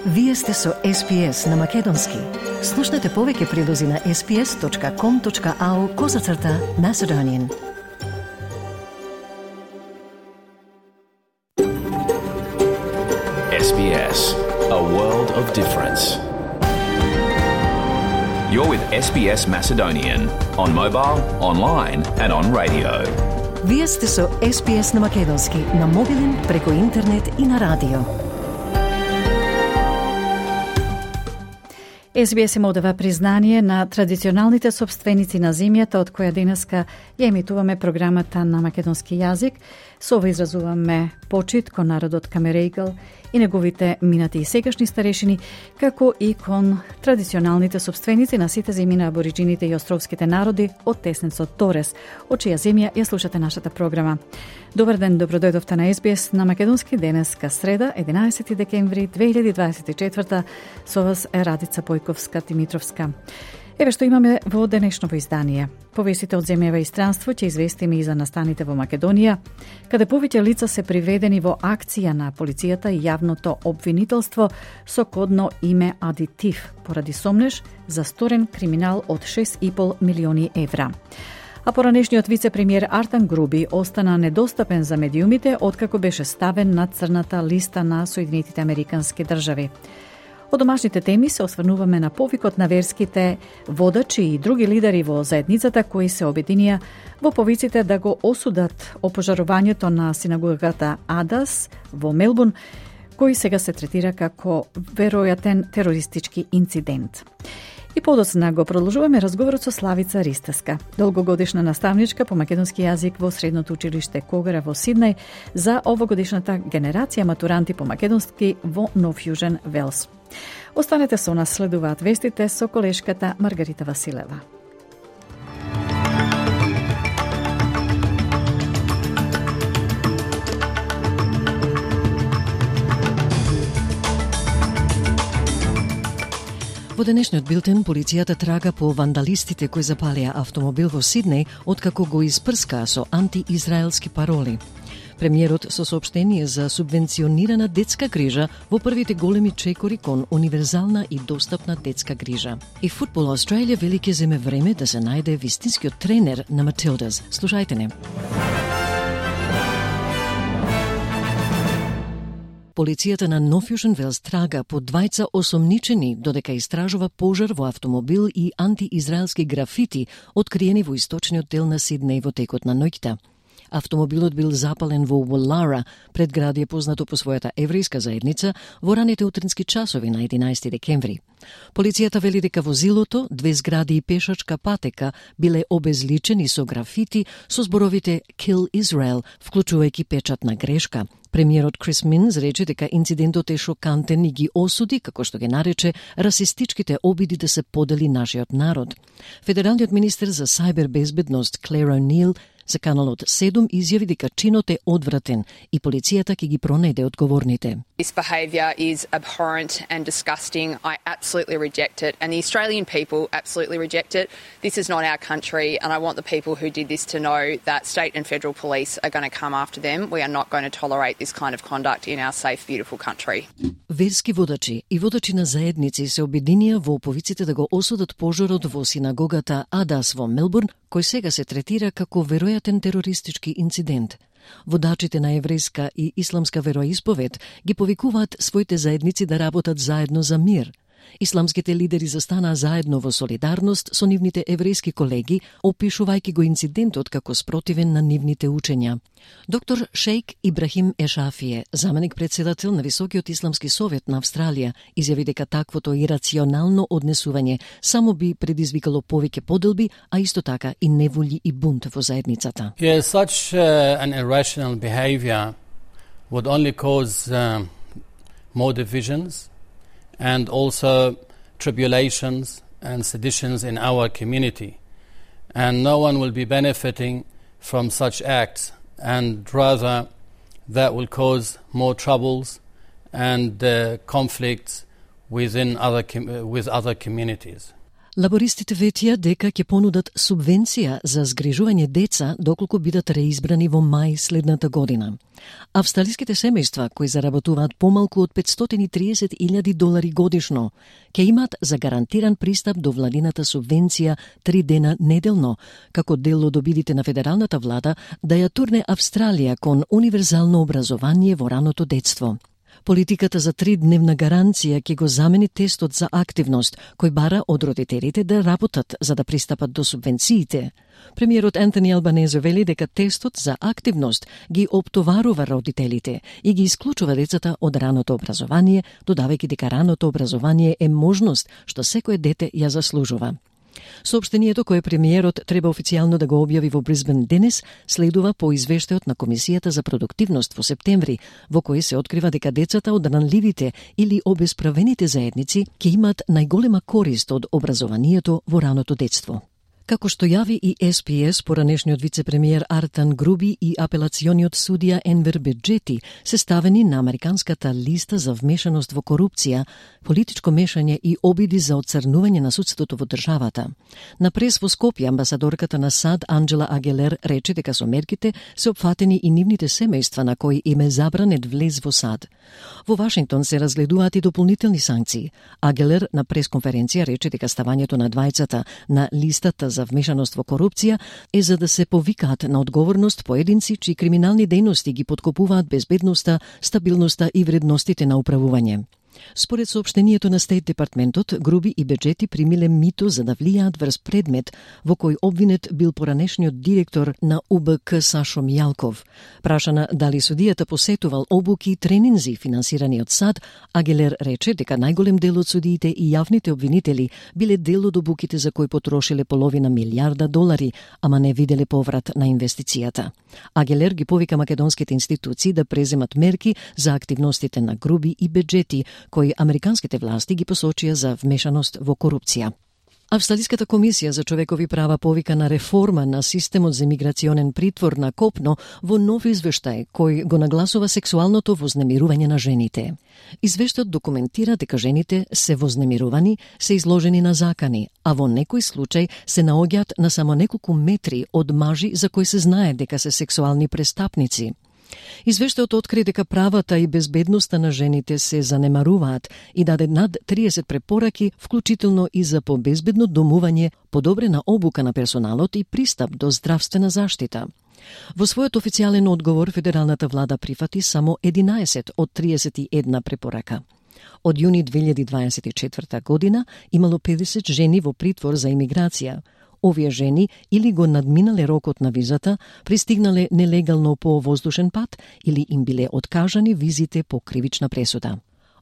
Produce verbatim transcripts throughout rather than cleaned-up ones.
Вие сте со Ес Би Ес на Македонски. Слушнете повеќе прилози на ес би ес точка ком точка ау козацрта Macedonian. Ес Би Ес, a world of difference. You're with Ес Би Ес Macedonian on mobile, online and on radio. Вие сте со Ес Би Ес на Македонски, на мобилен, преку интернет и на радио. Ес Би Ес им одава признание на традиционалните собственици на земјата од која денеска ја емитуваме програмата на македонски јазик. Со ова изразуваме почит кон народот Камерејгал и неговите минати и сегашни старешини, како и кон традиционалните собственици на сите земји на абориджините и островските народи од теснецот Торес, од чија земја ја слушате нашата програма. Добар ден, добродојдовте на Ес Би Ес на македонски денеска среда, единаесети декември две илјади дваесет и четврта. Со вас е Радица Појковска-Тимитровска. Еве што имаме во денешното издание. Повестите од земјава и странство ќе известиме и за настаните во Македонија, каде повеќе лица се приведени во акција на полицијата и јавното обвинителство со кодно име Адитив, поради сомнеж за сторен криминал од шест и пол милиони евра. А поранешниот вице-премиер Артан Груби остана недостапен за медиумите откако беше ставен на црната листа на Соединетите Американски држави. Од домашните теми се осврнуваме на повикот на верските водачи и други лидери во заедницата кои се обединија во повиците да го осудат опожарувањето на синагогата Адас во Мелбурн, кој сега се третира како веројатен терористички инцидент. И подоцна го продолжуваме разговорот со Славица Ристеска, долгогодишна наставничка по македонски јазик во Средното училиште Когара во Сиднеј, за овогодишната генерација матуранти по македонски во Нов Јужен Велс. Останете со нас, следуваат вестите со колешката Маргарита Василева. Во денешниот билтен, полицијата трага по вандалистите кои запалија автомобил во Сиднеј откако го испрскаа со антиизраелски пароли. Премиерот со соопштение за субвенционирана детска грижа во првите големи чекори кон универзална и достапна детска грижа. И Футбол Австралија вели ќе земе време да се најде вистинскиот тренер на Матилдас. Слушајте не. Полицијата на Нов Јужен Велс трага по двајца осомничени додека истражува пожар во автомобил и антиизраелски графити откриени во источниот дел на Сиднеј во текот на ноќта. Автомобилот бил запален во Уоллара, предградие познато по својата еврејска заедница, во раните утрински часови на единаесети декември. Полицијата вели дека возилото, две згради и пешачка патека биле обезличени со графити со зборовите Kill Israel, вклучувајќи печатна грешка. Премиерот Крис Минс рече дека инцидентот е шокантен и ги осуди, како што ги нарече, расистичките обиди да се подели нашиот народ. Федералниот министер за сајбер безбедност Клер О'Нил за каналот седум изјави дека чинот е одвратен и полицијата ќе ги пронајде одговорните. This behaviour is abhorrent and disgusting. I absolutely reject it, and the Australian people absolutely reject it. This is not our country, and I want the people who did this to know that state and federal police are going to come after them. We are not going to tolerate this kind of conduct in our safe, beautiful country. Верски водачи и водачи на заедници се обединија во повиците да го осудат пожарот во синагогата Адас во Мелбурн, кој сега се третира како веројатен терористички инцидент. Водачите на еврејска и исламска вероисповед ги повикуваат своите заедници да работат заедно за мир. Исламските лидери застанаа заедно во солидарност со нивните еврејски колеги, опишувајќи го инцидентот како спротивен на нивните учења. Доктор Шејк Ибрахим Ешафие, заменик председател на Високиот исламски совет на Австралија, изјави дека таквото ирационално однесување само би предизвикало повеќе поделби, а исто така и неволји и бунт во заедницата. Yeah, such uh, an irrational behavior would only cause uh, more divisions and also tribulations and seditions in our community. And no one will be benefiting from such acts, and rather that will cause more troubles and uh, conflicts within other com- with other communities. Лабористите ветија дека ќе понудат субвенција за згрижување деца доколку бидат реизбрани во мај следната година. Австралиските семејства кои заработуваат помалку од петстотини и триесет илјади долари годишно ќе имаат за гарантиран пристап до владината субвенција три дена неделно, како дел од обидите на федералната влада да ја турне Австралија кон универзално образование во раното детство. Политиката за тридневна гаранција ќе го замени тестот за активност, кој бара од родителите да работат за да пристапат до субвенциите. Премиерот Ентони Албанезе вели дека тестот за активност ги оптоварува родителите и ги исклучува децата од раното образование, додавајќи дека раното образование е можност што секое дете ја заслужува. Соопштението кое премиерот треба официјално да го објави во Брисбен денес следува по извештајот на Комисијата за продуктивност во септември, во кој се открива дека децата од ранливите или обесправените заедници ќе имаат најголема корист од образованието во раното детство. Како што јави и Ес Пи Ес, поранешниот вице-премиер Артан Груби и апелациониот судија Енвер Беджети се ставени на американската листа за вмешаност во корупција, политичко мешање и обиди за отцрнување на судството во државата. На прес во Скопје амбасадорката на САД Анджела Агелер рече дека со мерките се опфатени и нивните семејства на кои им е забранет влез во САД. Во Вашингтон се разгледуваат и дополнителни санкции. Агелер на пресконференција рече дека ставањето на двајцата на листата за вмешаност во корупција е за да се повикаат на одговорност поединци чии криминални дејности ги поткопуваат безбедноста, стабилноста и вредностите на управување. Според соопштението на Стейт департментот, Груби и Беджети примиле мито за да влијаат врз предмет во кој обвинет бил поранешниот директор на У Б К Сашо Мијалков. Прашана дали судијата посетувал обуки и тренинзи финансирани од САД, Агелер рече дека најголем дел од судиите и јавните обвинители биле дел од обуките за кои потрошиле половина милијарда долари, ама не виделе поврат на инвестицијата. Агелер ги повика македонските институции да преземат мерки за активностите на Груби и Беджети, кои американските власти ги посочија за вмешаност во корупција. Австралиската комисија за човекови права повика на реформа на системот за миграционен притвор на копно во нов извештај кој го нагласува сексуалното вознемирување на жените. Извештајот документира дека жените се вознемирувани, се изложени на закани, а во некој случај се наоѓаат на само неколку метри од мажи за кои се знае дека се сексуални престапници. Извештајот откри дека правата и безбедноста на жените се занемаруваат и даде над триесет препораки, вклучително и за побезбедно домување, подобрена обука на персоналот и пристап до здравствена заштита. Во својот официјален одговор, федералната влада прифати само единаесет од триесет и една препорака. Од јуни две илјади дваесет и четврта година имало педесет жени во притвор за имиграција. Овие жени или го надминале рокот на визата, пристигнале нелегално по воздушен пат или им биле откажани визите по кривична пресуда.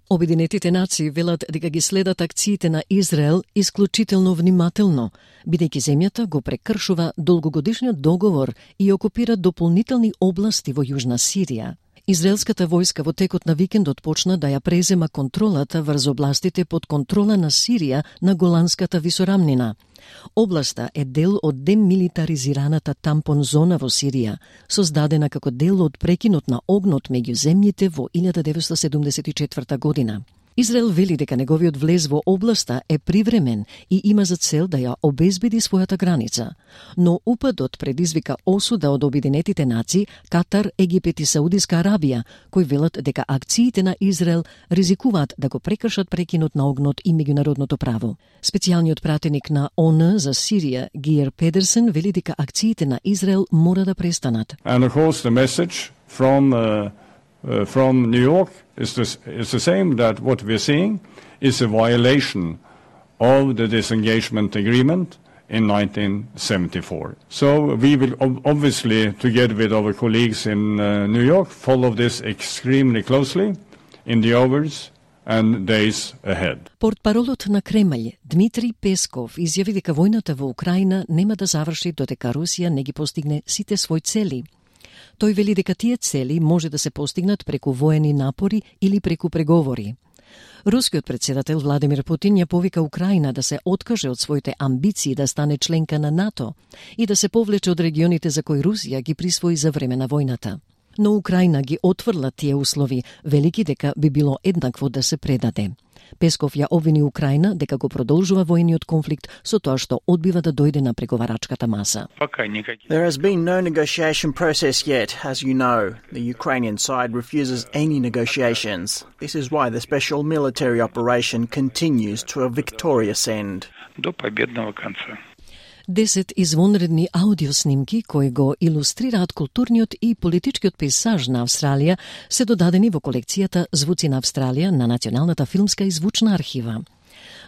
Обединетите нации велат дека ги следат акциите на Израел исклучително внимателно, бидејќи земјата го прекршува долгогодишниот договор и окупира дополнителни области во Јужна Сирија. Израелската војска во текот на викендот почна да ја презема контролата врз областите под контрола на Сирија на Голанската висорамнина. Областа е дел од демилитаризираната тампон зона во Сирија, создадена како дел од прекинот на огнот меѓу земјите во илјада деветстотини седумдесет и четврта година. Израел вели дека неговиот влез во областа е привремен и има за цел да ја обезбеди својата граница. Но упадот предизвика осуда од Обединетите нации, Катар, Египет и Саудиска Арабија, кои велат дека акциите на Израел ризикуваат да го прекршат прекинот на огнот и меѓународното право. Специјалниот пратеник на О Н за Сирија, Гиер Педерсен, вели дека акциите на Израел мора да престанат. And of course the message from uh... Uh, from New York is the, is the same, that what we're seeing is a violation of the disengagement agreement in nineteen seventy-four. So we will ob- obviously, together with our colleagues in uh, New York, follow this extremely closely in the hours and days ahead. Портпаролот на Кремљ, Дмитри Песков, изјави дека војната во Украина нема да заврши додека Русија не ги постигне сите своји цели. Тој вели дека тие цели може да се постигнат преку воени напори или преку преговори. Рускиот председател Владимир Путин ја повика Украина да се откаже од своите амбиции да стане членка на НАТО и да се повлече од регионите за кои Русија ги присвои за време на војната. Но Украина ги отврла тие услови, велики дека би било еднакво да се предаде. Песков ја обвини Украина дека го продолжува воениот конфликт со тоа што одбива да дојде на преговарачката маса. There has been no negotiation process yet, as you know. The Ukrainian side refuses any negotiations. This is why the special military operation continues to a victorious end. До победного конца. Десет извонредни аудиоснимки кои го илустрираат културниот и политичкиот пейзаж на Австралија се додадени во колекцијата Звуци на Австралија на Националната филмска и звучна архива.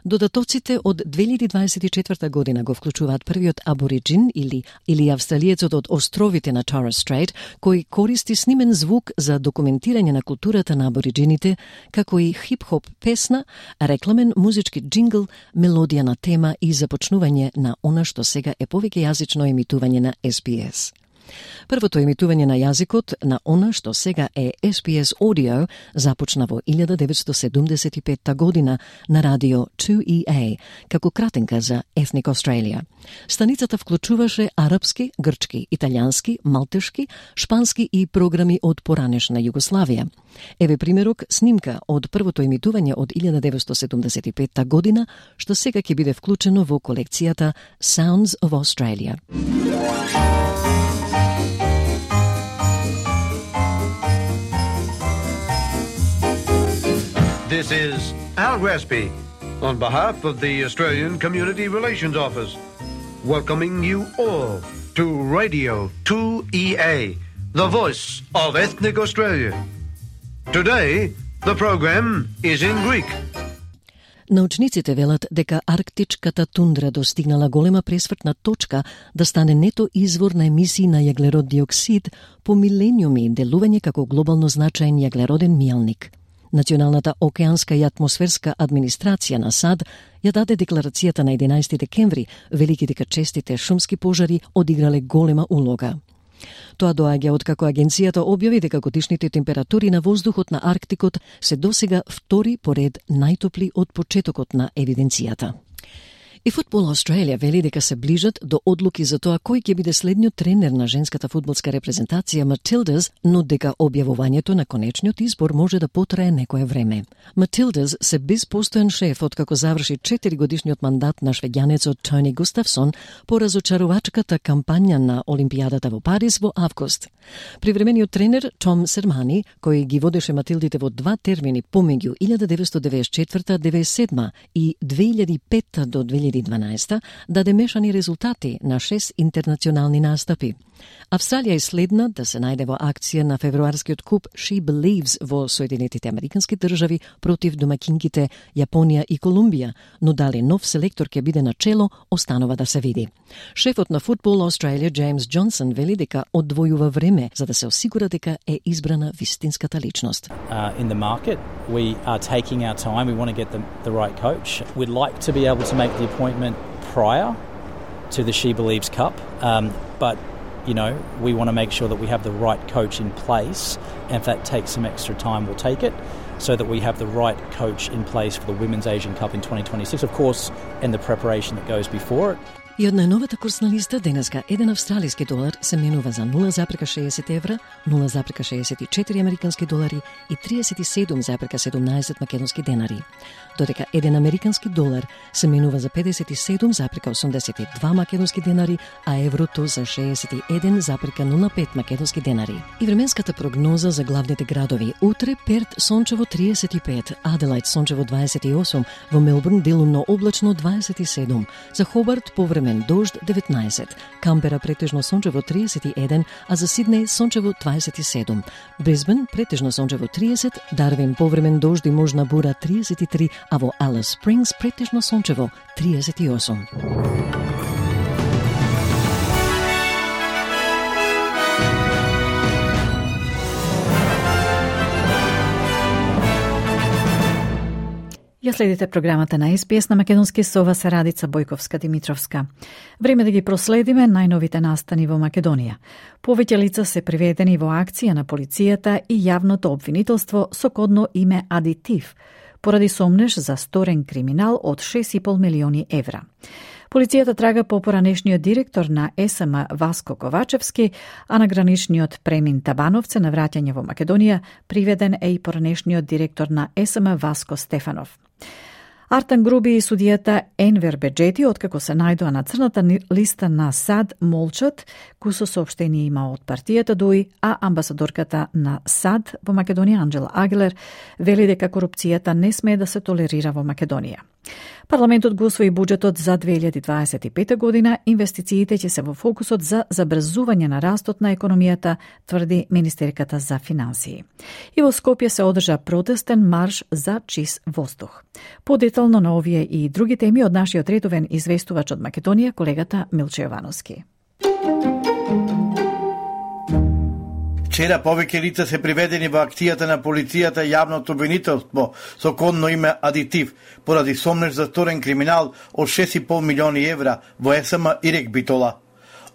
Додатоците од две илјади дваесет и четврта година го вклучуваат првиот абориджин или или австралиецот од островите на Torres Strait, кој користи снимен звук за документирање на културата на абориджините, како и хип-хоп песна, рекламен музички джингл, мелодија на тема и започнување на она што сега е повеќе јазично емитување на Ес Би Ес. Првото емитување на јазикот на она што сега е Ес Би Ес Audio започна во илјада деветстотини седумдесет и петта година на радио ту И Ей, како кратенка за Ethnic Australia. Станицата вклучуваше арапски, грчки, италијански, малтешки, шпански и програми од поранешна Југославија. Еве примерок снимка од првото емитување од илјада деветстотини седумдесет и петта година, што сега ќе биде вклучено во колекцијата Sounds of Australia. This is Al Gresby, on behalf of the Australian Community Relations Office, welcoming you all to Radio two E A, the voice of ethnic Australia. Today, the program is in Greek. Научниците велат дека арктичката тундра достигнала голема пресвртна точка да стане нето извор на емисии на јаглерод диоксид по милениуми делување како глобално значаен јаглероден мијалник. Националната океанска и атмосферска администрација на САД ја даде декларацијата на единаесети декември, велики дека честите шумски пожари одиграле голема улога. Тоа доаѓа откако агенцијата објави дека годишните температури на воздухот на Арктикот се досега втори поред најтопли од почетокот на евиденцијата. И Футбол Австралија вели дека се ближат до одлуки за тоа кој ќе биде следниот тренер на женската фудбалска репрезентација Матилдас, но дека објавувањето на конечниот избор може да потрае некое време. Матилдас се без постојан шеф откако заврши четири годишниот мандат на швеѓанецот Тони Густавсон по разочарувачката кампања на Олимпијадата во Париз во август. Привремениот тренер Том Сермани, кој ги водеше Матилдите во два термини помеѓу илјада деветстотини девеесет и четврта до девеесет и седма и две илјади и петта до две илјади и дванаесета, даде мешани резултати на шест интернационални настапи. Австралија е следна да се најде во акција на февруарскиот куп She Believes во Соединетите Американски држави против домакинките Јапонија и Колумбија, но дали нов селектор ќе биде на чело, останува да се види. Шефот на Футбол Австралија Джеймс Џонсон вели дека одвојува време за да се осигура дека е избрана вистинската личност. Uh, in the market, we are taking our time. We want to get the, the right coach. We'd like to be able to make the appointment prior to the She Believes Cup, um, but you know, we want to make sure that we have the right coach in place, and if that takes some extra time, we'll take it, so that we have the right coach in place for the Women's Asian Cup in twenty twenty-six, of course, and the preparation that goes before it. И од најновата курсна листа денеска еден австралиски долар се менува за нула запирка шеесет евра, нула запирка шеесет и четири американски долари и триесет и седум запирка седумнаесет македонски денари. Додека еден американски долар се менува за педесет и седум запирка осумдесет и два македонски денари, а еврото за шеесет и еден запирка нула пет македонски денари. И временската прогноза за главните градови: утре Перт сончево триесет и пет, Аделајд сончево дваесет и осум, во Мелбурн делумно облачно дваесет и седум, за Хобарт повремен дожд деветнаесет, Камбера претежно сончево триесет и еден, а за Сиднеј сончево дваесет и седум, Брисбен претежно сончево триесет, Дарвин повремен дожд и можна бура триесет и три, а во Алис Спрингс претежно сончево триесет и осум. Ја следите програмата на Ес Би Ес на македонски со вас Радица Бојковска-Димитровска. Време да ги проследиме најновите настани во Македонија. Повеќе лица се приведени во акција на полицијата и јавното обвинителство со кодно име Адитив, поради сомнеж за сторен криминал од шест и пол милиони евра. Полицијата трага по поранешниот директор на Ес Ем Васко Ковачевски, а на граничниот премин Табановце на враќање во Македонија приведен е и поранешниот директор на Ес Ем Васко Стефанов. Артан Груби и судијата Енвер Беџети, откако се најдоа на црната листа на САД, молчат, кој со соопштение има од партијата ДУИ, а амбасадорката на САД во Македонија Анџела Агилер вели дека корупцијата не смее да се толерира во Македонија. Парламентот го усвои буџетот за две илјади дваесет и пета година, инвестициите ќе се во фокусот за забрзување на растот на економијата, тврди министерката за финансии. И во Скопје се одржа протестен марш за чист воздух. Подетално на овие и други теми од нашиот редовен известувач од Македонија, колегата Милче Јовановски. Вчера повеќе лица се приведени во акцијата на полицијата и јавното обвинителство со кодно име Адитив поради сомнеж за сторен криминал од шест и пол милиони евра во ЕСМ и Рек Битола.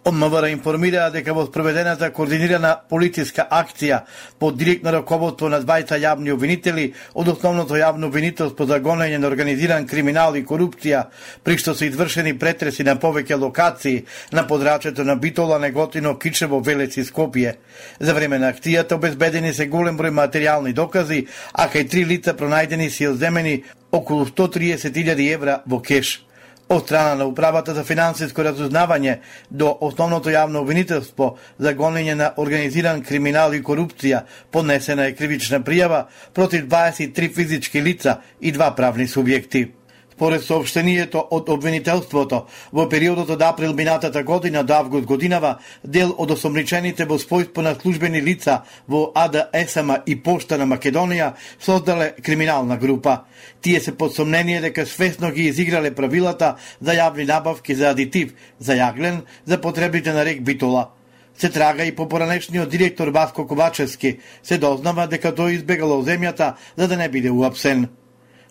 Од МВР информираа дека во спроведената координирана полициска акција под директно раководство на двајца јавни обвинители од основното јавно обвинителство за гонење на организиран криминал и корупција, при што се извршени претреси на повеќе локации на подрачјето на Битола, Неготино, Кичево, Велес и Скопје. За време на акцијата обезбедени се голем број материјални докази, а кај три лица пронајдени се одземени околу сто триесет илјади евра во кеш. Од страна на Управата за финансиско разузнавање до основното јавно обвинителство за гонење на организиран криминал и корупција поднесена е кривична пријава против дваесет и три физички лица и два правни субјекти. Според соопштението од обвинителството, во периодот од април минатата година до август годинава, дел од осомничените во својство на службени лица во АД-ЕСМ и Пошта на Македонија создале криминална група. Тие се под сомнение дека свесно ги изиграле правилата за јавни набавки за адитив, за јаглен, за потребите на Рек Битола. Се трага и по поранешниот директор Васко Ковачевски, се дознава дека тој избегал земјата за да не биде уапсен.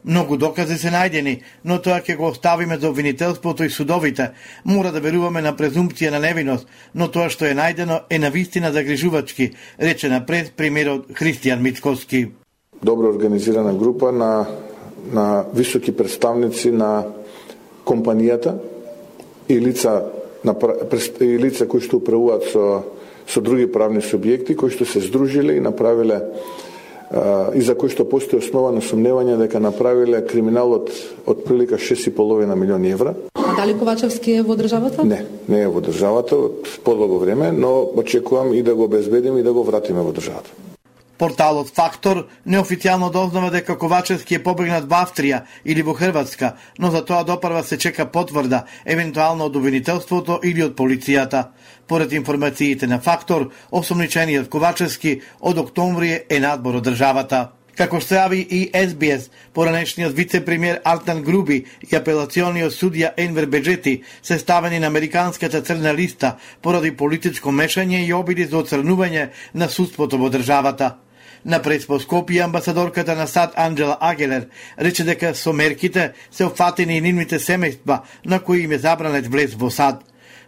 Многу докази се најдени, но тоа ќе го оставиме за обвинителството и судовите. Мора да веруваме на презумпција на невиност, но тоа што е најдено е навистина загрижувачки, рече напред премиерот Христијан Мицковски. Добро организирана група на, на високи представници на компанијата и лица, на, и лица кои што управуваат со, со други правни субјекти, кои што се здружиле и направиле и за кои што постои основа на сумневање дека направиле криминалот од прилика шест и половина милиони евра. А дали Ковачевски е во државата? Не, не е во државата од подолго време, но очекувам и да го обезбедиме и да го вратиме во државата. Порталот Фактор неофицијално дознава дека Ковачевски е побегнат во Австрија или во Хрватска, но за тоа допрва се чека потврда, евентуално од обвинителството или од полицијата. Поред информациите на Фактор, осомничениот Ковачевски од октомври е надбор од државата. Како што јави и Ес Би Ес, поранешниот вице-премиер Артан Груби и апелациониот судија Енвер Беџети се ставени на американската црна листа поради политичко мешање и обиди за оцрнување на судството во државата. На преспо Скопје амбасадорката на САД Анџела Агилер рече дека со мерките се опфатени и нивните семејства на кои им е забранет влез во САД.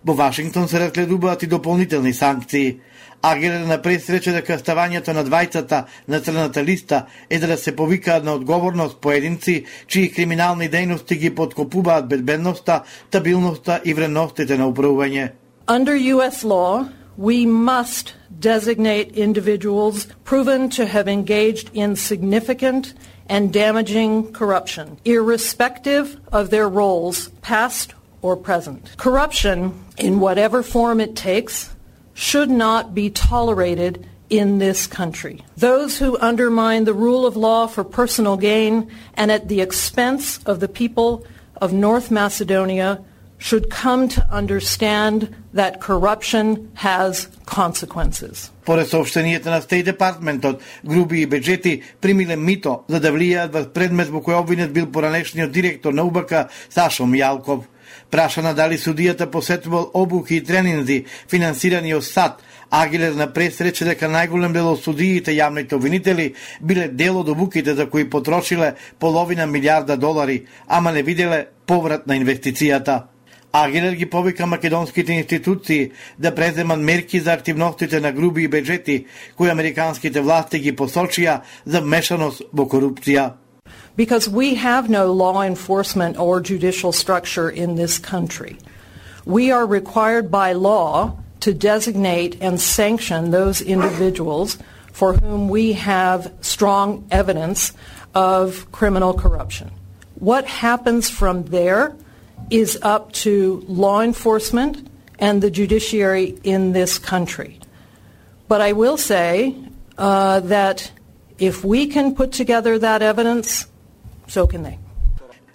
Во Вашингтон се разгледуваат и дополнителни санкции. Агилер напред рече дека ставањето на двајцата на црната листа е да се повикаат на одговорност поединци чии криминални дејности ги подкопуваат безбедноста, стабилноста и вредностите на управување. Under U S law, we must designate individuals proven to have engaged in significant and damaging corruption, irrespective of their roles, past or present. Corruption, in whatever form it takes, should not be tolerated in this country. Those who undermine the rule of law for personal gain and at the expense of the people of North Macedonia should come to understand that corruption has consequences. Поред сообщението на Стейт Департментот, Груби и Беџети примиле мито за да влијаат во предмет во кој обвинет бил поранешниот директор на У Б К Сашо Мијалков. Прашана дали судијата посетувал обуки и тренинзи финансирани од САД, Агилер напред рече дека најголем дел од судиите јавните обвинители биле дел од обуките за кои потрошиле половина милијарда долари, ама не виделе поврат на инвестицијата. Агилер ги повика македонските институции да преземат мерки за активностите на Груби и Беџети, кои американските власти ги посочија за вмешаност во корупција. Because we have no law enforcement or judicial structure in this country. We are required by law to designate and sanction those individuals for whom we have strong evidence of criminal corruption. What happens from there is up to law enforcement and the judiciary in this country. But I will say uh, that if we can put together that evidence, so can they.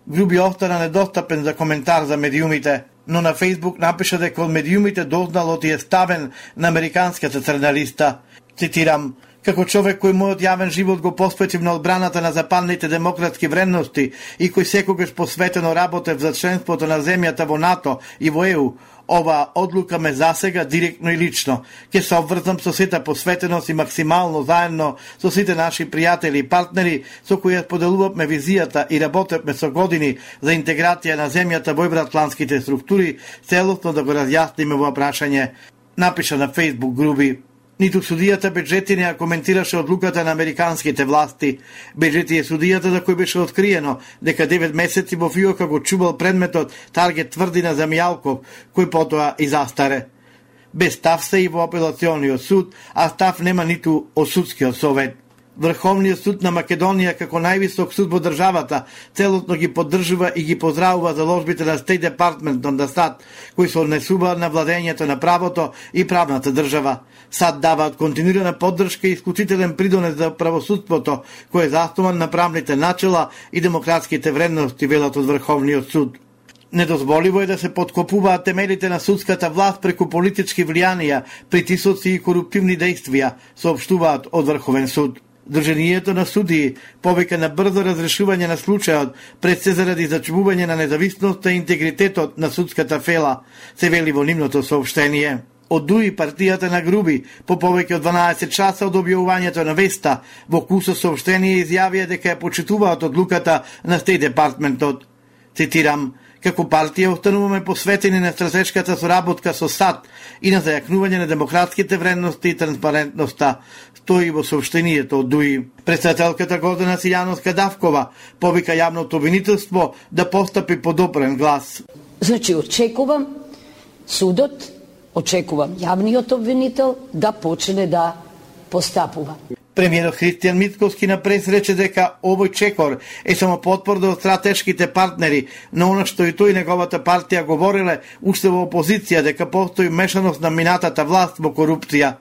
Груби остана недостапен за коментар за медиумите, но на Фейсбук напиша дека од медиумите дознал оти е ставен на американската црна листа. Цитирам: како човек кој мојот јавен живот го посветив на одбраната на западните демократски вредности и кој секогаш посветено работев за членството на земјата во НАТО и во Е У, ова одлука ме засега директно и лично. Ке се обврзам со сета посветеност и максимално заедно со сите наши пријатели и партнери со кои споделувавме визијата и работевме со години за интеграција на земјата во евроатлантските структури, целосно да го разјасниме во прашање, напиша на Фейсбук Груби. Ниту судијата Беџети не ја коментираше одлуката на американските власти. Беџети е судијата за кој беше откриено дека девет месеци во фиока го чувал предметот Таргет тврдина за Мијалков, кој потоа и застаре. Без став се и во апелациониот суд, а став нема ниту од судскиот совет. Врховниот суд на Македонија како највисок суд во државата целосно ги поддржува и ги поздравува заложбите на State Department на САД, кои се однесуваат на владењето на правото и правната држава. САД даваат континуирана поддршка и исклучителен придонес за правосудството, кој е заснуван на правните начела и демократските вредности, велат од Врховниот суд. Недозволиво е да се подкопуваат темелите на судската власт преку политички влијанија, притисоци и коруптивни дејствија, соопштуваат од Врховен суд. Друженијето на судии повика на брзо разрешување на случајот, пред се заради зачувување на независноста и интегритетот на судската фела, се вели во нивното соопштение. Од Дуи партијата на Груби по повеќе од дванаесет часа од објавувањето на веста во кусо соопштение изјавија дека ја почитуваат одлуката на State Departmentот. Цитирам: како партија остануваме посветени на стратешката соработка со САД и на зајакнување на демократските вредности и транспарентноста, стои во соопштението од Дуи. Председателката Гордана Силјановска-Давкова повика јавното обвинителство да постапи по допрен глас. Значи, очекувам судот, очекувам јавниот обвинител да почне да постапува. Премиерот Христијан Мицковски на прес рече дека овој чекор е само потврда од стратешките партнери, но она што и тој и неговата партија говореле уште во опозиција дека постои мешаност на минатата власт во корупција.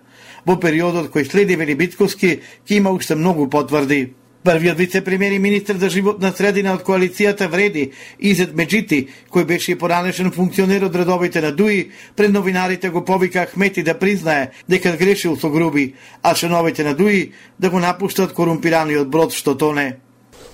Во периодот кој следи, вели Мицковски, ќе има уште многу потврди. Првиот вице-премиер и министер за животна средина од коалицијата Вреди, Изет Меджити, кој беше и поранешен функционер од редовите на Дуи, пред новинарите го повика Ахмети да признае дека грешил со Груби, а членовите на Дуи да го напуштат корумпираниот брод што тоне.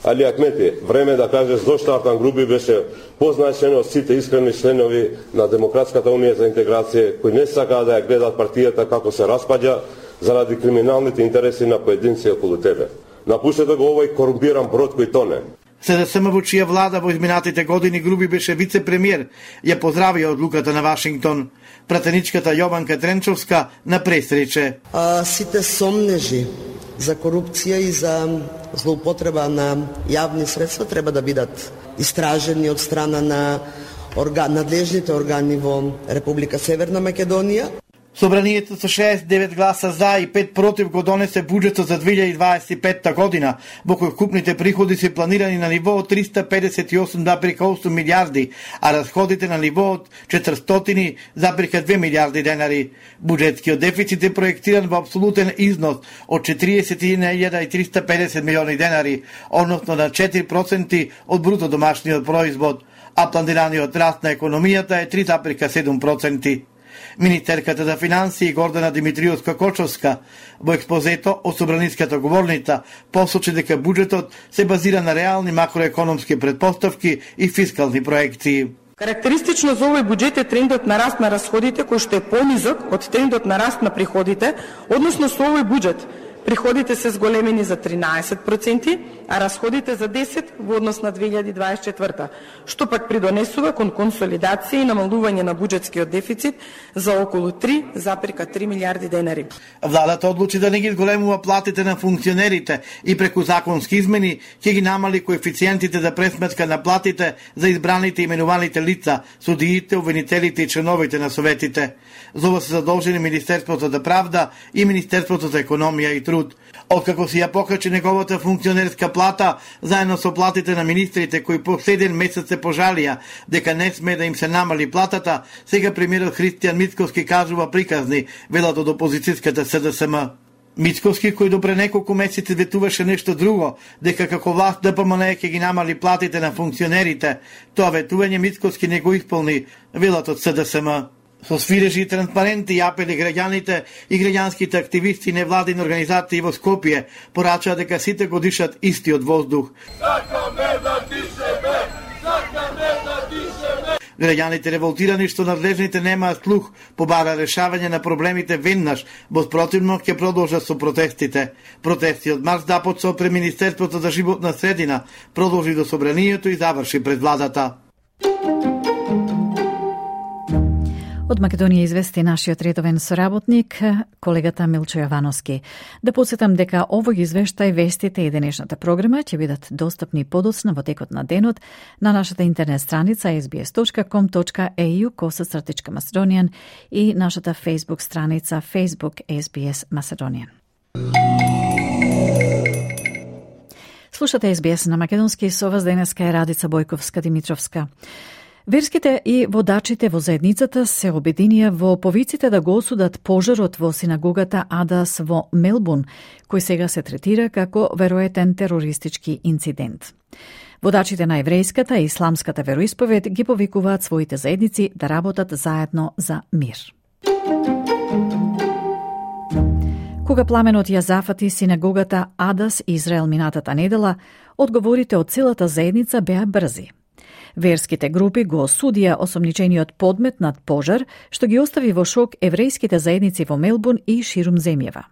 Али Ахмети, време да кажеш зошто Артан Груби беше позначен од сите искрени членови на Демократската унија за интеграција, кои не сакаа да ја гледат партијата како се распаѓа заради криминалните интереси на поединци околу тебе. Напуштете го овој корумпиран брод кој тоне. СДСМ во чија влада во изминатите години Груби беше вице-премиер, ја поздрави одлуката на Вашингтон. Пратеничката Јованка Тренчовска на прес рече: А, сите сомнежи за корупција и за злоупотреба на јавни средства треба да бидат истражени од страна на орга... надлежните органи во Република Северна Македонија. Собранието со шеесет и девет гласа за и пет против го донесе буџетот за две илјади дваесет и петта година, во кој купните приходи се планирани на ниво од триста педесет и осум зарез осум милијарди, а расходите на ниво од четиристотини зарез две милијарди денари. Буџетскиот дефицит е проектиран во апсолутен износ од четириесет и една илјада и триста педесет милиони денари, односно на четири проценти од бруто домашниот производ, а планираниот раст на економијата е три зарез седум проценти. Министерката за финансии Гордана Димитриевска-Кочовска во експозето од собраниската говорница посочи дека буџетот се базира на реални макроекономски претпоставки и фискални проекции. Карактеристично за овој буџет е трендот на раст на расходите кој што е понизок од трендот на раст на приходите, односно со овој буџет приходите се зголемени за тринаесет проценти, а расходите за десет во однос на две илјади дваесет и четврта, што пак придонесува кон консолидација и намалување на буџетскиот дефицит за околу три зарез три милијарди денари. Владата одлучи да не ги зголемува платите на функционерите и преку законски измени ќе ги намали коефициентите за пресметка на платите за избраните и именуваните лица, судиите, обвинителите и членовите на советите. За ова се задолжени Министерството за правда и Министерството за економија и труд. труд. Откако си ја покачи неговата функционерска плата, заедно со платите на министрите кои последен месец се пожалија дека не сме да им се намали платата, сега премиерот Христијан Мицкоски кажува приказни, велат од опозицијската С Д С М. Мицкоски, кој до пре неколку месеци ветуваше нешто друго, дека како власт Д П М Н ќе ги намали платите на функционерите, тоа ветување Мицкоски не го исполни, велат од С Д С М. Со свирежи и транспаренти и апели граѓаните и граѓанските активисти и невладини организации во Скопје порачаа дека сите го дишат истиот воздух. Сакаме да дишеме! Сакаме да дишеме! Граѓаните револтирани што надлежните немаат слух побара решавање на проблемите веднаш, во спротивно ќе продолжат со протестите. Протести од март започна пред Министерството за животна средина, продолжи до собранието и заврши пред владата. Од Македонија извести нашиот редовен соработник, колегата Милчо Јовановски. Да подсетам дека овој извештај, вестите и денешната програма ќе бидат достапни подоцна во текот на денот на нашата интернет страница ес би ес точка ком точка е ю косацртичка Macedonian и нашата Facebook страница Facebook ес би ес Macedonian. Слушате ес би ес на македонски, со вас денеска е Радица Бојковска-Димитровска. Верските и водачите во заедницата се обединија во повиците да го осудат пожарот во синагогата Адас во Мелбурн, кој сега се третира како веројатен терористички инцидент. Водачите на еврејската и исламската вероисповед ги повикуваат своите заедници да работат заедно за мир. Кога пламенот ја зафати синагогата Адас Израел минатата недела, одговорите од целата заедница беа брзи. Верските групи го осудија осомничениот подмет над пожар, што ги остави во шок еврејските заедници во Мелбурн и ширум земјава.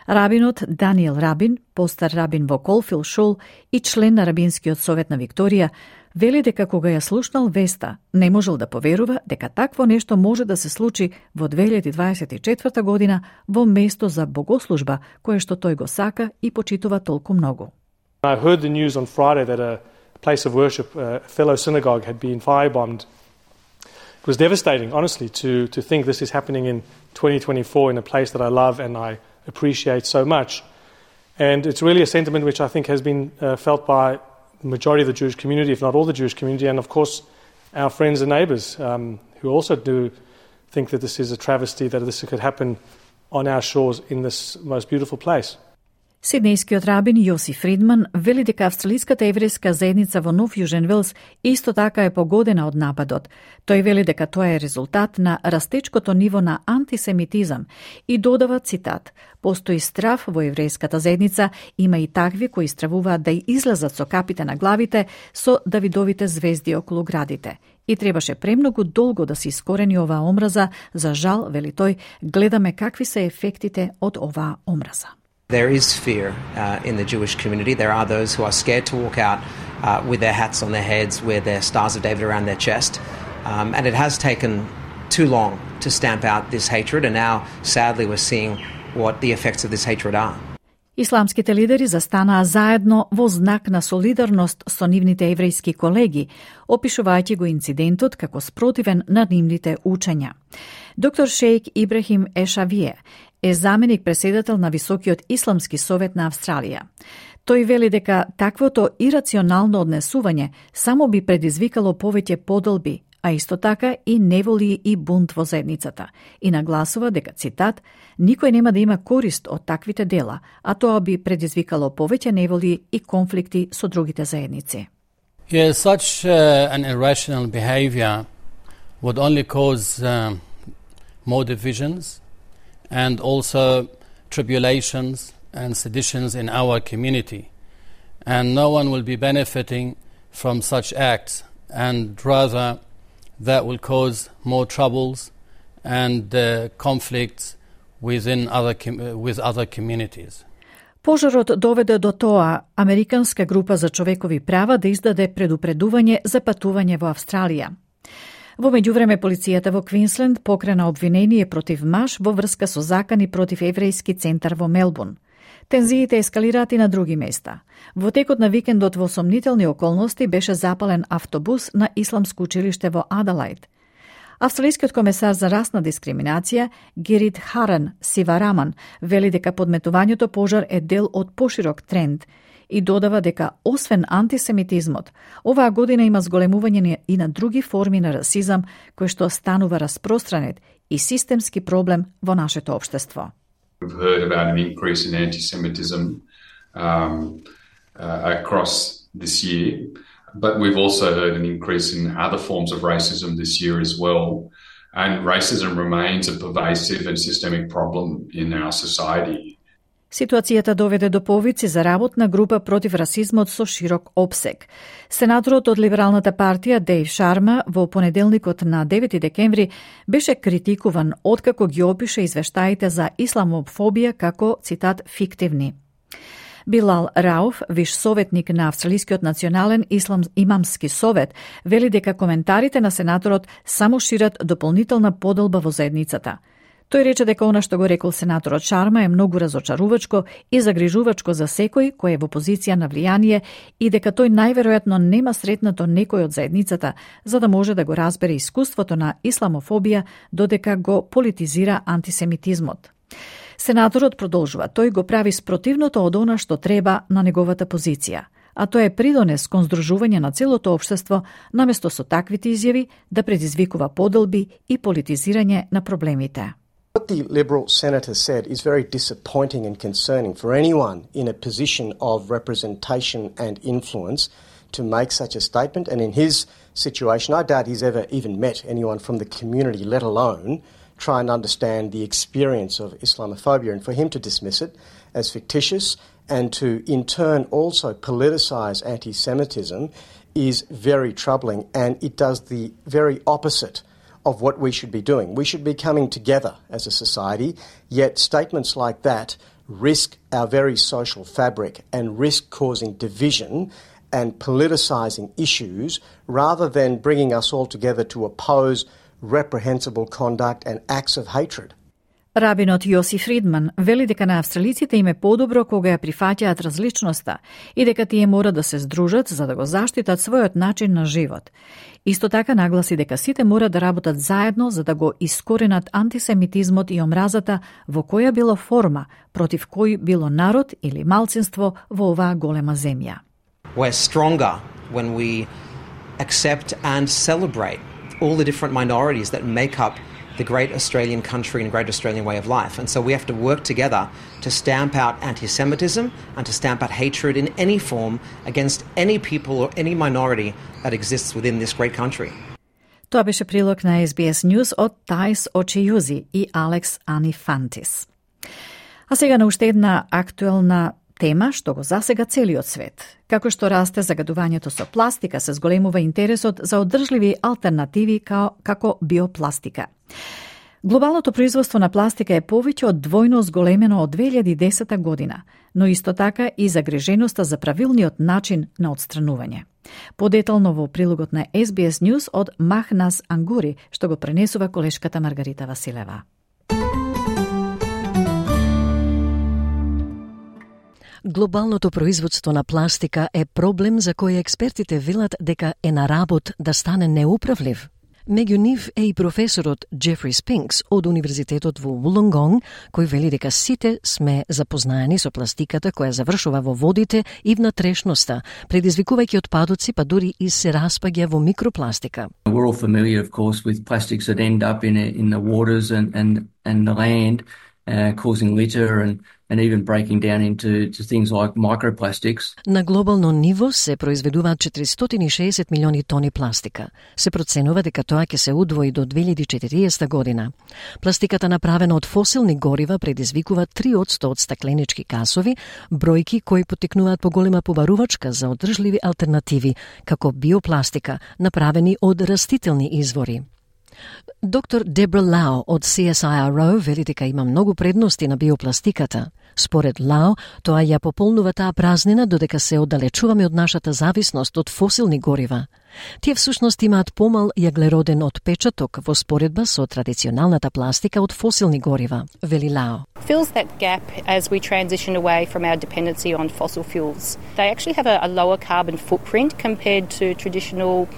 Рабинот Даниел Рабин, постар рабин во Колфил Шул и член на Рабинскиот совет на Викторија, вели дека кога ја слушнал веста, не можел да поверува дека такво нешто може да се случи во две илјади дваесет и четврта година во место за богослужба, кое што тој го сака и почитува толку многу. I heard the news on Friday that a place of worship, a fellow synagogue, had been firebombed. It was devastating, honestly, to, to think this is happening in twenty twenty-four in a place that I love and I appreciate so much. And it's really a sentiment which I think has been uh, felt by the majority of the Jewish community, if not all the Jewish community, and of course our friends and neighbours um, who also do think that this is a travesty, that this could happen on our shores in this most beautiful place. Сиднејскиот рабин Јосиф Фридман вели дека австралиската еврејска заедница во Нов Јужен Велс исто така е погодена од нападот. Тој вели дека тоа е резултат на растечкото ниво на антисемитизам и додава цитат: "Постои страв во еврејската заедница, има и такви кои стравуваат да излезат со капите на главите со давидовите звезди околу градите. И требаше премногу долго да се искорени оваа омраза, за жал, вели тој, гледаме какви се ефектите од оваа омраза." There is fear uh, in the Jewish community. There are those who are scared to walk out uh, with their hats on their heads, with their stars of David around their chest. Um, and it has taken too long to stamp out this hatred, and now, sadly, we're seeing what the effects of this hatred are. Исламските лидери застанаа заедно во знак на солидарност со нивните еврејски колеги, опишувајќи го инцидентот како спротивен на нивните учења. Доктор Шејк Ибрахим Ешавие е заменик преседател на Високиот исламски совет на Австралија. Тој вели дека таквото ирационално однесување само би предизвикало повеќе поделби, а исто така и неволи и бунт во заедницата, и нагласува дека, цитат, "Никој нема да има корист од таквите дела, а тоа би предизвикало повеќе неволи и конфликти со другите заедници." Yeah, such uh, an irrational behavior would only cause uh, more divisions and also tribulations and seditions in our community. And no one will be benefiting from such acts, and rather that will cause more troubles and uh, conflicts within other com- with other communities. Пожарот доведе до тоа Американска група за човекови права да издаде предупредување за патување во Австралија. Во меѓувреме, полицијата во Квинсленд покрена обвинение против маж во врска со закани против еврејски центар во Мелбурн. Тензиите ескалираат и на други места. Во текот на викендот во сомнителни околности беше запален автобус на исламско училиште во Аделаид. Австралискиот комесар за расна дискриминација Герит Харан Сивараман вели дека подметувањето пожар е дел од поширок тренд и додава дека освен антисемитизмот, оваа година има зголемување и на други форми на расизам кој што станува распространет и системски проблем во нашето општество. We've heard about an increase in anti-Semitism um, uh, across this year, but we've also heard an increase in other forms of racism this year as well. And racism remains a pervasive and systemic problem in our society. Ситуацијата доведе до повици за работна група против расизмот со широк опсег. Сенаторот од Либералната партија Дейв Шарма во понеделникот на девети декември беше критикуван откако ги опише извештаите за исламофобија како, цитат, фиктивни. Билал Рауф, виш советник на Австралискиот национален ислам имамски совет, вели дека коментарите на сенаторот само шират дополнителна подолба во заедницата. Тој рече дека она што го рекол сенаторот Шарма е многу разочарувачко и загрижувачко за секој кој е во позиција на влијание и дека тој најверојатно нема сретнато некој од заедницата за да може да го разбере искуството на исламофобија додека го политизира антисемитизмот. Сенаторот продолжува, тој го прави спротивното од она што треба на неговата позиција, а тоа е придонес кон здружување на целото општество наместо со таквите изјави да предизвикува поделби и политизирање на проблемите. What the Liberal Senator said is very disappointing and concerning for anyone in a position of representation and influence to make such a statement. And in his situation, I doubt he's ever even met anyone from the community, let alone try and understand the experience of Islamophobia. And for him to dismiss it as fictitious and to in turn also politicise anti-Semitism is very troubling, and it does the very opposite of what we should be doing. We should be coming together as a society, yet statements like that risk our very social fabric and risk causing division and politicising issues rather than bringing us all together to oppose reprehensible conduct and acts of hatred. Рабинот Јосиф Фридман вели дека на австралиците им е подобро кога ја прифаќаат различноста и дека тие мора да се здружат за да го заштитат својот начин на живот. Исто така нагласи дека сите мора да работат заедно за да го искоренат антисемитизмот и омразата во која било форма, против кој било народ или малцинство во оваа голема земја. We're stronger when we accept and celebrate all the different minorities that make up the great Australian country and great Australian way of life. And so we have to work together to stamp out anti-Semitism and to stamp out hatred in any form against any people or any minority that exists within this great country. Тоа беше прилог на Ес Би Ес News од Тајс Очијузи и Алекс Анифантис. А сега на уште една актуелна тема што го засега целиот свет. Како што расте загадувањето со пластика, се зголемува интересот за одржливи алтернативи као, како биопластика. Глобалното производство на пластика е повеќе од двојно зголемено од две илјади и десета година, но исто така и загриженоста за правилниот начин на отстранување. Подетално во прилогот на Ес Би Ес News од Махнас Ангури, што го пренесува колешката Маргарита Василева. Глобалното производство на пластика е проблем за кој експертите велат дека е на работ да стане неуправлив. Меѓу нив е и професорот Джефри Спинкс од Универзитетот во Вулонгонг, кој вели дека сите сме запознаени со пластиката која завршува во водите и внатрешноста, предизвикувајќи отпадоци, па дури и се распаѓа во микропластика. We're all familiar, of course, with plastics that end up in in the waters and and and the land, uh, causing litter and and even breaking down into to things like microplastics. На глобално ниво се произведуваат четиристотини и шеесет милиони тони пластика. Се проценува дека тоа ќе се удвои до две илјади и четириесета година. Пластиката направена од фосилни горива предизвикува три одсто од стакленички касови, бројки кои потекнуваат по голема побарувачка за одржливи алтернативи, како биопластика, направени од растителни извори. Доктор Дебра Лао од Си Ес Ай Ар О вели дека има многу предности на биопластиката. Според Лао, тоа ја пополнува таа празнина додека се оддалечуваме од нашата зависност од фосилни горива. Тие всушност имаат помал јаглероден отпечаток во споредба со традиционалната пластика од фосилни горива, вели Лао. Fills that gap as we transition away from our dependency on fossil fuels. They actually have a, a lower carbon footprint compared to traditional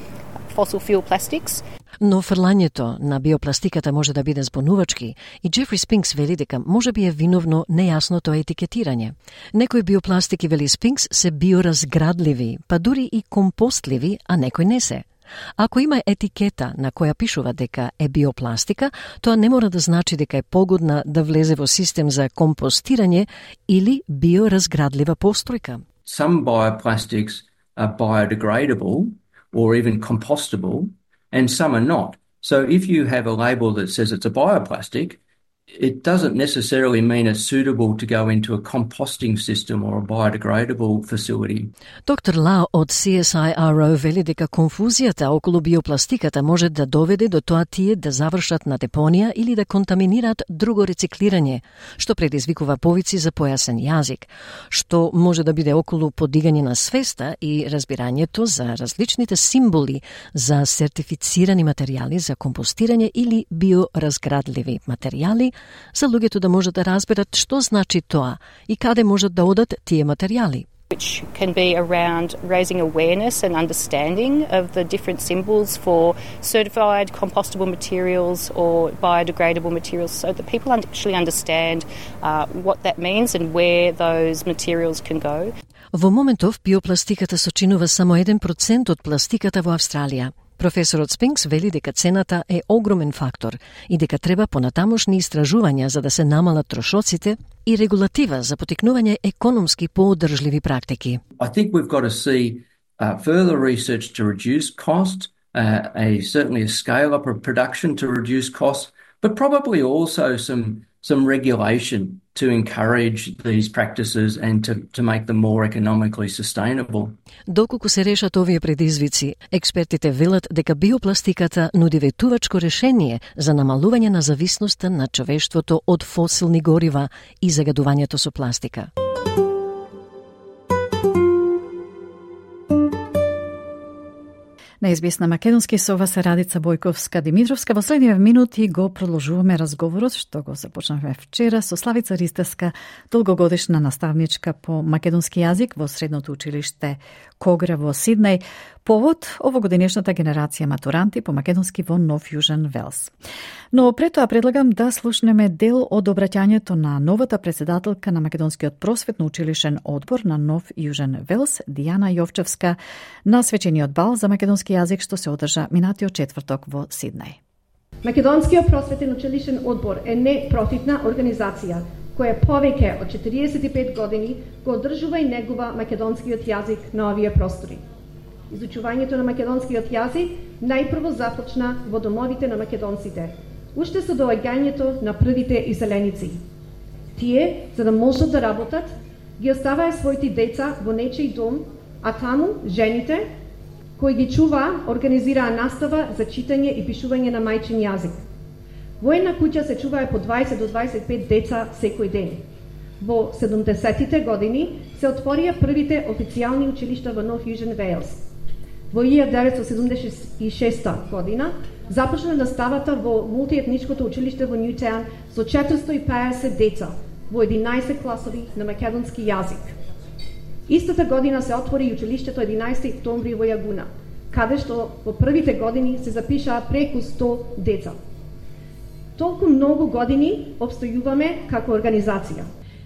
fossil fuel plastics. Но фрлањето на биопластиката може да биде збунувачки и Джефри Спинкс вели дека може би е виновно нејасното етикетирање. Некои биопластики, вели Спинкс, се биоразградливи, па дури и компостливи, а некои не се. Ако има етикета на која пишува дека е биопластика, тоа не мора да значи дека е погодна да влезе во систем за компостирање или биоразградлива постројка. Some bioplastics are biodegradable or even compostable, and some are not. So if you have a label that says it's a bioplastic, it doesn't necessarily mean it's suitable to go into a composting system or a biodegradable facility. Доктор Ла од Си Ес Ај Ар О вели дека конфузијата околу биопластиката може да доведе до тоа тие да завршат на депонија или да контаминираат друго рециклирање, што предизвикува повици за појасен јазик, што може да биде околу подигање на свеста и разбирањето за различните символи за сертифицирани материјали за компостирање или биоразградливи материјали, за луѓето да можат да разберат што значи тоа и каде можат да одат тие материјали. Which can be around raising awareness and understanding of the different symbols for certified compostable materials or biodegradable materials so that people actually understand uh, what that means and where those materials can go. Во моментов биопластиката сочинува само еден процент од пластиката во Австралија. Професорот Спинкс вели дека цената е огромен фактор и дека треба понатамошни истражувања за да се намалат трошоците и регулатива за потикнување економски поодржливи практики. I think we've got to see uh, further research to reduce cost, uh, a certainly a scale up of production to reduce costs, but probably also some some regulation to encourage these practices and to, to make them more economically sustainable. Доколку се решат овие предизвици, експертите велат дека биопластиката нуди ветувачко решение за намалување на зависноста на човештвото од фосилни горива и загадувањето со пластика. На Ес Би Ес на македонски со вас е Радица Бојковска-Димитровска. Во следниве минути го продолжуваме разговорот што го започнавме вчера со Славица Ристевска, долгогодишна наставничка по македонски јазик во Средното училиште Когра во Сиднеј, повод овогодинешната генерација матуранти по македонски во Нов Јужен Велс. Но пред тоа предлагам да слушнеме дел од обраќањето на новата председателка на Македонскиот просветно училишен одбор на Нов Јужен Велс, Дијана Јовчевска, на свечениот бал за македонски јазик што се одржа минатиот четврток во Сиднеј. Македонскиот просветен училишен одбор е непрофитна организација која повеќе од четириесет и пет години го одржува и негува македонскиот јазик на овие простори. Изучувањето на македонскиот јазик најпрво започна во домовите на македонците, уште со доаѓањето на првите иселеници. Тие, за да можат да работат, ги оставаа своите деца во нечиј дом, а таму жените, кои ги чуваа, организираа настава за читање и пишување на мајчин јазик. Во една куќа се чуваа по дваесет до дваесет и пет деца секој ден. Во седумдесетите години се отворија првите официјални училишта во Нов Јужен Велс. Во илјада деветстотини седумдесет и шеста година започна наставата во мултиетничкото училиште во Нјутаун со четиристо и педесет деца во единаесет класови на македонски јазик. Истата година се отвори и училиштето единаесети октомври во Јагуна, каде што во првите години се запишаа преку сто деца. Толку многу години обстојуваме како организација.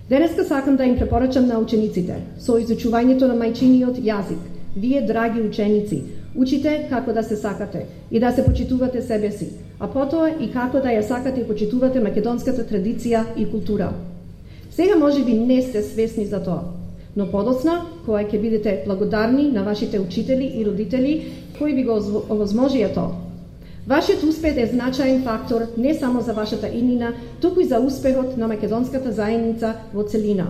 Денеска сакам да им препорачам на учениците со изучувањето на мајчиниот јазик. Вие, драги ученици, учите како да се сакате и да се почитувате себе си, а потоа и како да ја сакате и почитувате македонската традиција и култура. Сега може би не сте свесни за тоа, но подоцна, кога ќе бидете благодарни на вашите учители и родители кои ви го овозможија тоа. Вашиот успех е значаен фактор не само за вашата иднина, туку и за успехот на македонската заедница во целина.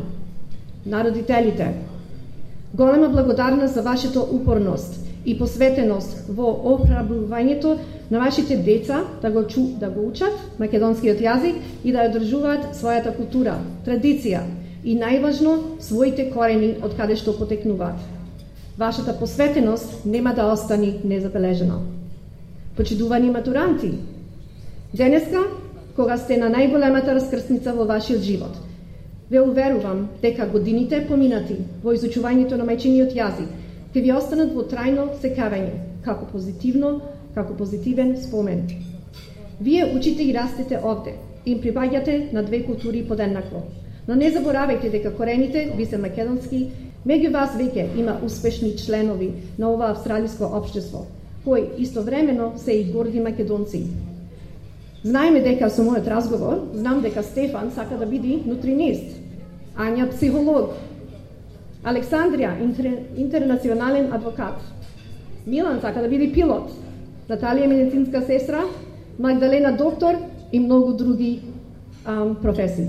На родителите, голема благодарност за вашата упорност и посветеност во охрабрувањето на вашите деца да го, чу, да го учат македонскиот јазик и да ја одржуваат својата култура, традиција и најважно своите корени од каде што потекнуваат. Вашата посветеност нема да остане незабележена. Почитувани матуранти, денеска, кога сте на најголемата раскрсница во вашиот живот, ве уверувам дека годините поминати во изучувањето на мајчиниот јазик ќе ви останат во трајно секавање, како позитивно, како позитивен спомен. Вие учите и растете овде, им прибаѓате на две култури подеднакво. Но не заборавајте дека корените ви се македонски, меѓу вас веќе има успешни членови на ова австралиско општество, кои истовремено се и горди македонци. Знаеме дека со мојот разговор, знам дека Стефан сака да биде нутринист, Ања психолог, Александрија интер, интернационален адвокат, Милан сака да биде пилот, Наталија медицинска сестра, Магдалена доктор и многу други ам, професии.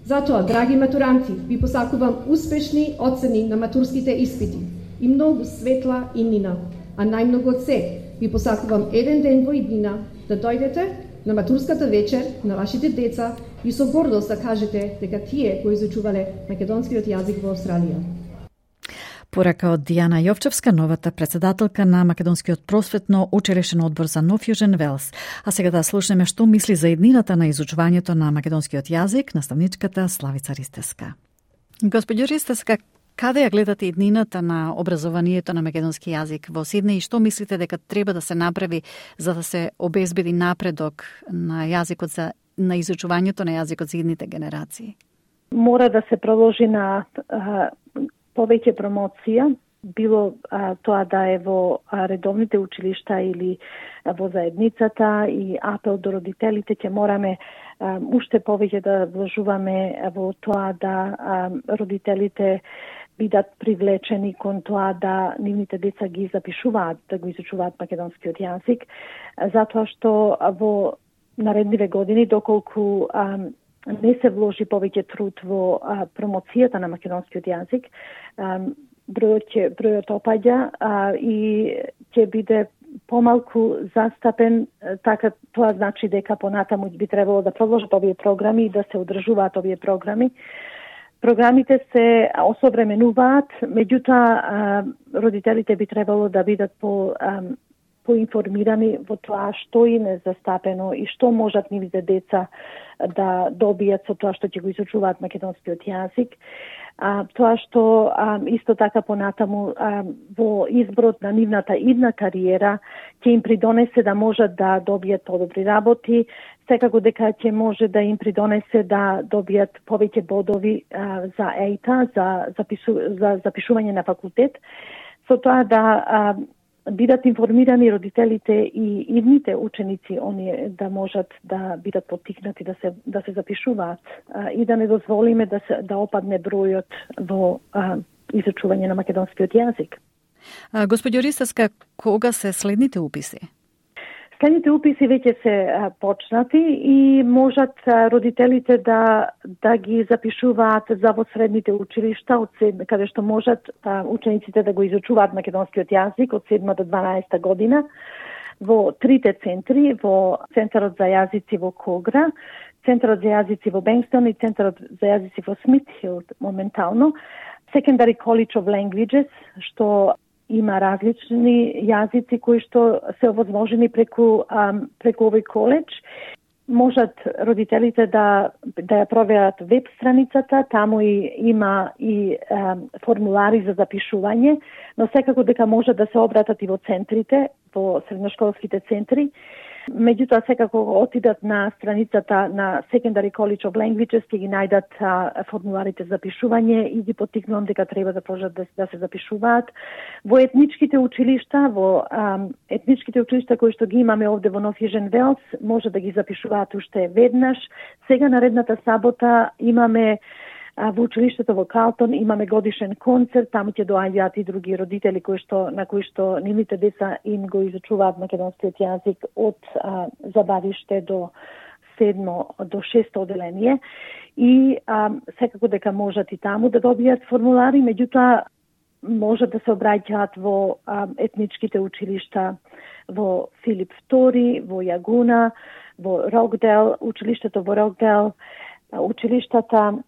Затоа, драги матуранти, ви посакувам успешни оцени на матурските испити и многу светла иднина, а најмногу од се ви посакувам еден ден во иднина да дојдете на матурската вечер на вашите деца и со гордост да кажете дека тие кои изучувале македонскиот јазик во Австралија. Порака од Дијана Јовчевска, новата председателка на Македонскиот просветно училишен одбор за No Fusion Wales. А сега да слушнеме што мисли за еднината на изучувањето на македонскиот јазик наставничката Славица Ристевска. Господјо Ристевска, каде ја гледате еднината на образованието на македонски јазик во Сиднеј и што мислите дека треба да се направи за да се обезбеди напредок на јазикот за на изучувањето на јазикот за идните генерации? Мора да се продолжи на а, повеќе промоција, било а, тоа да е во а, редовните училишта или а, во заедницата и апел до родителите, ќе мораме а, уште повеќе да вложуваме во тоа да а, родителите бидат привлечени кон тоа да нивните деца ги запишуваат, да го изучуваат македонскиот јазик, затоа што во наредниве години, доколку а, не се вложи повеќе труд во а, промоцијата на македонскиот јазик, а, бројот ќе бројот опаѓа а, и ќе биде помалку застапен, така тоа значи дека понатаму би требало да продолжат овие програми и да се одржуваат овие програми. Програмите се осовременуваат, меѓутоа родителите би требало да бидат по а, поинформирани во тоа што им е застапено и што можат нивните деца да добијат со тоа што ќе го изучуваат македонскиот јазик. А, тоа што а, исто така понатаму а, во изборот на нивната идна кариера ќе им придонесе да можат да добијат подобри работи, секако дека ќе може да им придонесе да добијат повеќе бодови а, за ејта, за, запису, за запишување на факултет, со тоа да а, бидат информирани родителите и идните ученици, оние да можат да бидат поттикнати да се да се запишуваат а, и да не дозволиме да се да опадне бројот во а, изучување на македонскиот јазик. Господјо Ристевска, кога се следните уписи? Следните уписи веќе се а, почнати и можат а, родителите да да ги запишуваат за во средните училишта од седма, каде што можат а, учениците да го изучуваат македонскиот јазик од седма до дванаесета година во трите центри, во Центарот за јазици во Когра, Центарот за јазици во Бенкстон и Центарот за јазици во Смитхилд моментално, Secondary College of Languages, што има различни јазици кои што се овозможени преку ам, преку овој коледж. Можат родителите да да ја проверат веб страницата, таму и има и ам, формулари за запишување, но секако дека можат да се обратат и во центрите, во средношколските центри. Меѓутоа, секако отидат на страницата на Secondary College of Languages, ќе ги најдат а, формуларите за запишување и ги поттикнувам дека треба да продолжат да, да се запишуваат. Во етничките училишта, во а, етничките училишта кои што ги имаме овде во No Fusion Wales, може да ги запишуваат уште веднаш. Сега наредната сабота имаме во училиштето во Калтон имаме годишен концерт, таму ќе доаѓаат и други родители кои што на кои што нивните деца им го изучуваат македонскиот јазик од а, забавиште до седмо до шесто оделение и а, секако дека можат и таму да добијат формулари, меѓутоа можат да се обраќаат во а, етничките училишта во Филип втори, во Јагуна, во Рокдел, училиштето во Рокдел, училиштата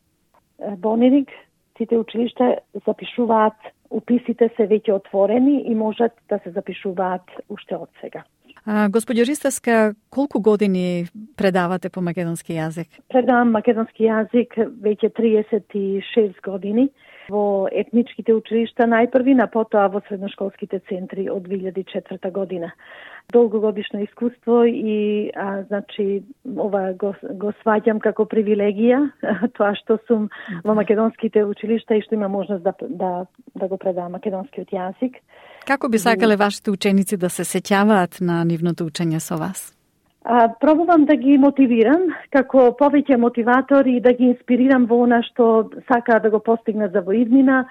Бонерик, сите училишта запишуваат, уписите се веќе отворени и можат да се запишуваат уште од сега. Господјо Ристевска, колку години предавате по македонски јазик? Предавам македонски јазик веќе триесет и шест години. во етничките училишта најпрви, на потоа во средношколските центри од две илјади и четврта година. Долгогодишно искуство и а, значи ова го, го сваѓам како привилегија, тоа што сум во македонските училишта и што има можност да да да го предавам македонскиот јазик. Како би сакале вашите ученици да се сеќаваат на нивното учење со вас? А, пробувам да ги мотивирам како повеќе мотиватор и да ги инспирирам во она што сакаат да го постигнат за во иднина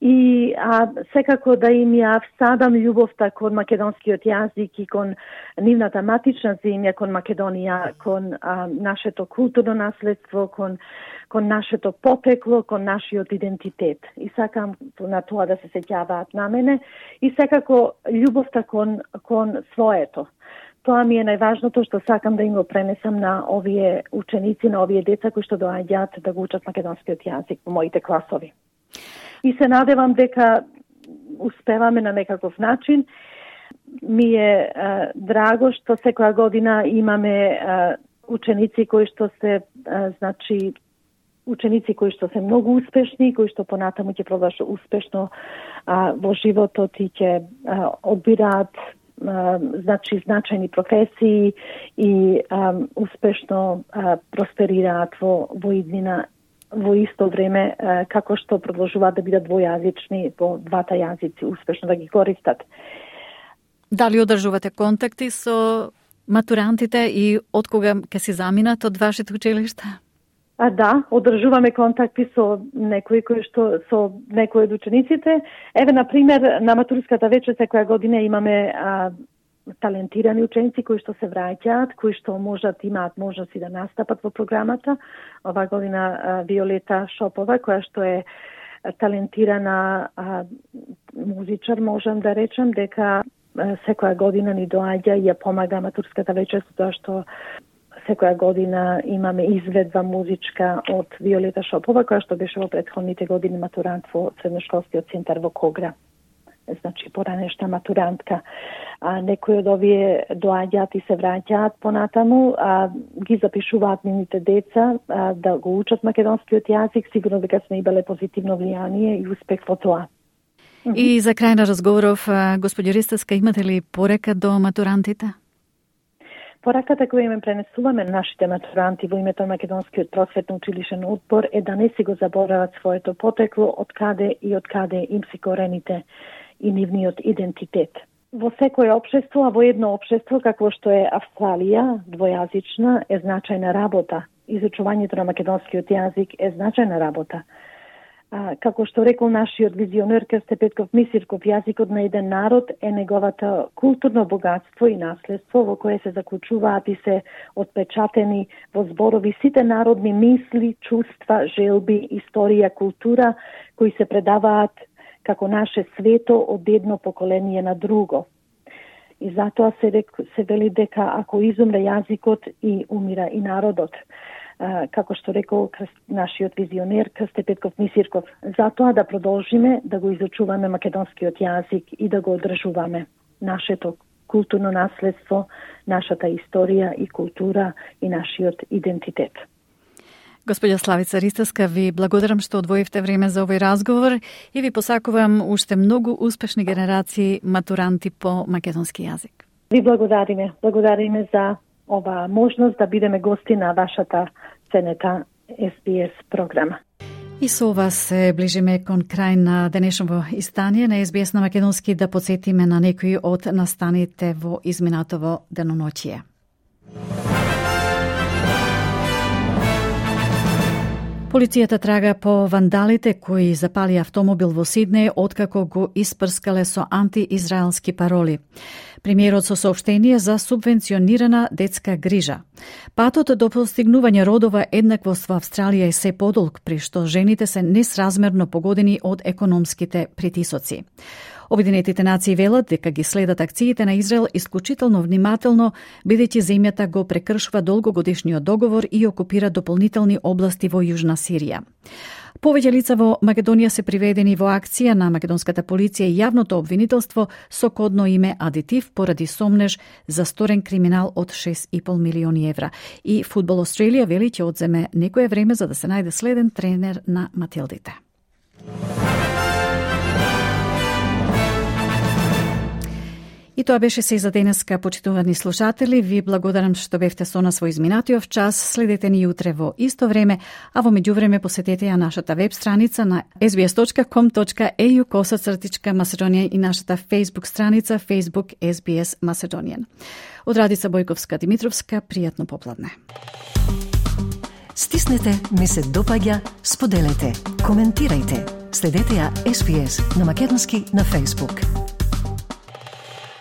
и а, секако да им ја всадам љубовта кон македонскиот јазик и кон нивната матична земја, кон Македонија, кон а, нашето културно наследство, кон кон нашето потекло, кон нашиот идентитет. И сакам на тоа да се сеќаваат на мене и секако љубовта кон кон своето. Тоа ми е најважното што сакам да им го пренесам на овие ученици, на овие деца кои што доаѓаат да го учат македонскиот јазик во моите класови. И се надевам дека успеваме на некаков начин. Ми е а, драго што секоја година имаме а, ученици кои што се а, значи ученици кои што се многу успешни, кои што понатаму ќе продолжат успешно а, во животот и ќе а, одбираат значи значајни професии и а, успешно а, просперираат во, во иднина во исто време а, како што продолжуваат да бидат двојазични во двата јазици, успешно да ги користат. Дали одржувате контакти со матурантите и од кога ќе се заминат од вашите училишта? А да, одржуваме контакти со некои кои што со некои од учениците. Еве на пример на матурската вечер секоја година имаме а, талентирани ученици кои што се враќаат, кои што можат имаат можности да настапат во програмата. Ова година а, Виолета Шопова, која што е талентирана а, музичар, можам да речам дека а, секоја година ни доаѓа и ја помага матурската вечер со тоа што секоја година имаме изведба музичка од Виолета Шопова, која што беше во претходните години матурант во средношколскиот центар во Когра. Значи, поранешна матурантка. А, некои од овие доаѓаат и се враќаат понатаму, а ги запишуваат нивните деца а, да го учат македонскиот јазик, сигурно дека сме имале позитивно влијание и успех во тоа. И за крај на разговоров, господи Ристевска, имате ли порека до матурантите? Пораката која им пренесуваме на нашите матуранти во името на Македонскиот просветно училишен одбор е да не си го заборават своето потекло, од каде и од каде им си корените и нивниот идентитет. Во секое општество, а во едно општество како што е Австралија, двојазична, е значајна работа. Изучувањето на македонскиот јазик е значајна работа. А, како што рекол нашиот визионер Крсте Петков Мисирков, јазикот на еден народ е неговата културно богатство и наследство во кое се заклучуваат и се отпечатени во зборови сите народни мисли, чувства, желби, историја, култура кои се предаваат како наше свето од едно поколение на друго. И затоа се, рек, се вели дека ако изумре јазикот и умира и народот. Uh, како што рекол нашиот визионер Крсте Петков Мисирков, затоа да продолжиме да го изучуваме македонскиот јазик и да го одржуваме нашето културно наследство, нашата историја и култура и нашиот идентитет. Господја Славица Ристевска, ви благодарам што одвоивте време за овој разговор и ви посакувам уште многу успешни генерации матуранти по македонски јазик. Ви благодариме, благодариме за ова можност да бидеме гости на вашата ценета Ес Би Ес програма. И со ова се ближиме кон крај на денешното издание на Ес Би Ес на македонски, да подсетиме на некои од настаните во изминатово деноноќие. Полицијата трага по вандалите кои запали автомобил во Сиднеј откако го испрскале со антиизраелски пароли. Премиерот со соопштение за субвенционирана детска грижа. Патот до постигнување родова еднаквост во Австралија е се подолг, при што жените се несразмерно погодени од економските притисоци. Обединетите нации велат дека ги следат акциите на Израел исклучително внимателно, бидејќи земјата го прекршува долгогодишниот договор и окупира дополнителни области во Јужна Сирија. Повеќе лица во Македонија се приведени во акција на македонската полиција и јавното обвинителство со кодно име Адитив поради сомнеж за сторен криминал од шест и пол милиони евра. И Фудбал Австралија вели ќе одземе некое време за да се најде следен тренер на Матилдите. И тоа беше се за денеска, почитувани слушатели. Ви благодарам што бевте со нас во изминатиот час. Следете ни утре во исто време, а во меѓувреме посетете ја нашата веб страница на ес би ес точка ком точка е ю косацртичка Macedonian и нашата Facebook страница Facebook ес би ес Macedonian. Од Радица Бојковска Димитровска, пријатно попладне. Стиснете, ми се допаѓа, споделете, коментирајте. Следете ја ес би ес на македонски на Facebook.